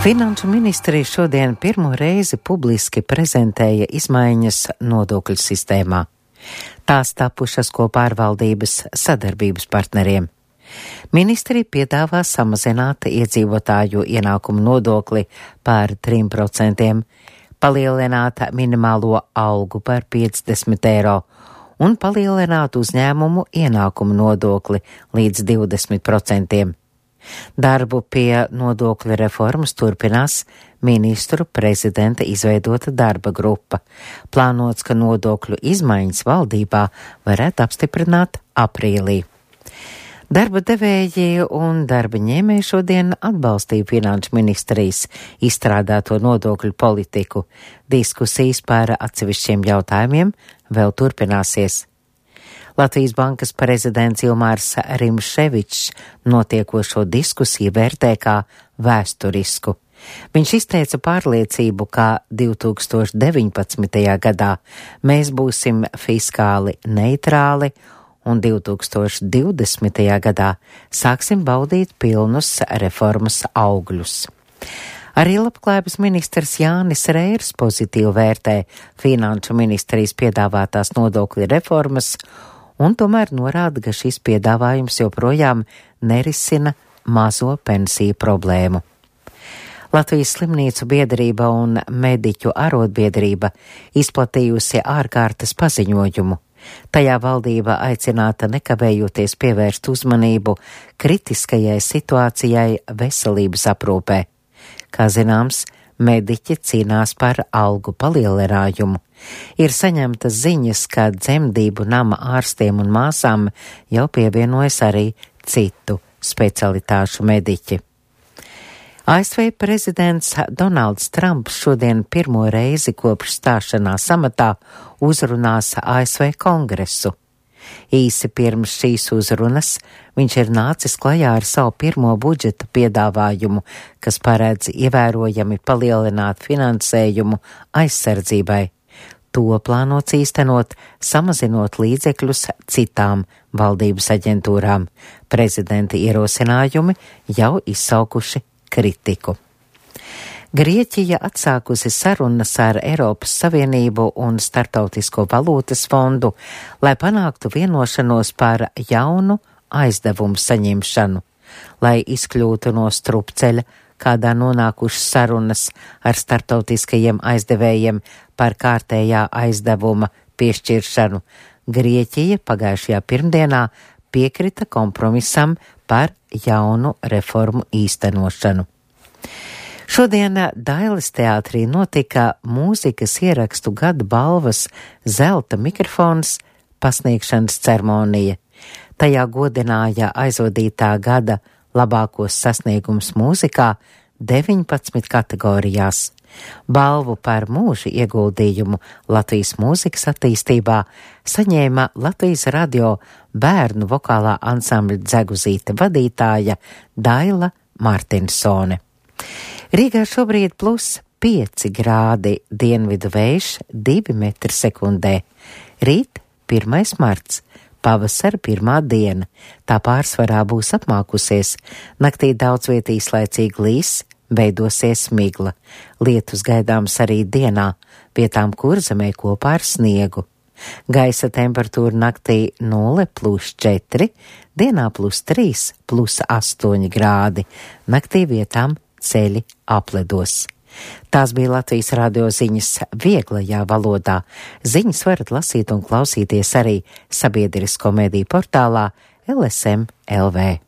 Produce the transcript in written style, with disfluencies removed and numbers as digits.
Finanšu ministrija šodien pirmo reizi publiski prezentēja izmaiņas nodokļu sistēmā. Tās tapušas kopā ar valdības sadarbības partneriem. Ministrija piedāvā samazināt iedzīvotāju ienākumu nodokli par 3%, palielināt minimālo algu par 50 eiro un palielināt uzņēmumu ienākumu nodokli līdz 20%. Darbu pie nodokļu reformas turpinās ministru prezidenta izveidota darba grupa. Plānots, ka nodokļu izmaiņas valdībā varētu apstiprināt aprīlī. Darba devēji un darba ņēmēji šodien atbalstīja finanšu ministrijas izstrādāto nodokļu politiku. Diskusijas par atsevišķiem jautājumiem vēl turpināsies. Latvijas bankas prezidents Ilmārs Rimševičs notiekošo diskusiju vērtē kā vēsturisku. Viņš izteica pārliecību, ka 2019. gadā mēs būsim fiskāli neitrāli un 2020. gadā sāksim baudīt pilnus reformas augļus. Arī labklājības ministrs Jānis Reirs pozitīvi vērtē finanšu ministrijas piedāvātās nodokļu reformas un tomēr norāda, ka šis piedāvājums joprojām nerisina mazo pensiju problēmu. Latvijas slimnīcu biedrība un mediķu arotbiedrība izplatījusi ārkārtas paziņojumu. Tajā valdība aicināta nekavējoties pievērst uzmanību kritiskajai situācijai veselības aprūpē. Kā zināms, mediķi cīnās par algu palielinājumu. Ir saņemtas ziņas, ka dzemdību nama ārstiem un māsām jau pievienojas arī citu specialitāšu mediķi. ASV prezidents Donalds Trumps šodien pirmo reizi kopš stāšanās amatā uzrunās ASV kongresu. Īsi pirms šīs uzrunas viņš ir nācis klajā ar savu pirmo budžeta piedāvājumu, kas paredz ievērojami palielināt finansējumu aizsardzībai. To plānots īstenot, samazinot līdzekļus citām valdības aģentūrām. Prezidenta ierosinājumi jau izsaukuši kritiku. Grieķija atsākusi sarunas ar Eiropas Savienību un Startautisko valūtas fondu, lai panāktu vienošanos par jaunu aizdevumu saņemšanu, lai izkļūtu no strupceļa, kādā nonākušas sarunas ar startautiskajiem aizdevējiem par kārtējā aizdevuma piešķiršanu. Grieķija pagājušajā pirmdienā piekrita kompromisam par jaunu reformu īstenošanu. Šodien Dailes teātrī notika mūzikas ierakstu gada balvas zelta mikrofons pasniegšanas ceremonija. Tajā godināja aizvadītā gada labākos sasniegums mūzikā 19 kategorijās. Balvu par mūža ieguldījumu Latvijas mūzikas attīstībā saņēma Latvijas radio bērnu vokālā ansambļa Dzeguzīte vadītāja Daila Martinsone. Rīgā šobrīd +5 grādi, dienvidu vējš 2 metri sekundē. Rīt 1. marts, pavasara pirmā diena, tā pārsvarā būs apmākusies, naktī daudz viet īslaicīgi līs, veidosies migla. Lietus gaidāms arī dienā, vietām Kurzemē kopā ar sniegu. Gaisa temperatūra naktī 0+4, dienā +3, +8 grādi, naktī vietām ceļi apledos. Tās bija Latvijas radio ziņas vieglajā valodā. Ziņas varat lasīt un klausīties arī sabiedrisko mediju portālā LSM LV.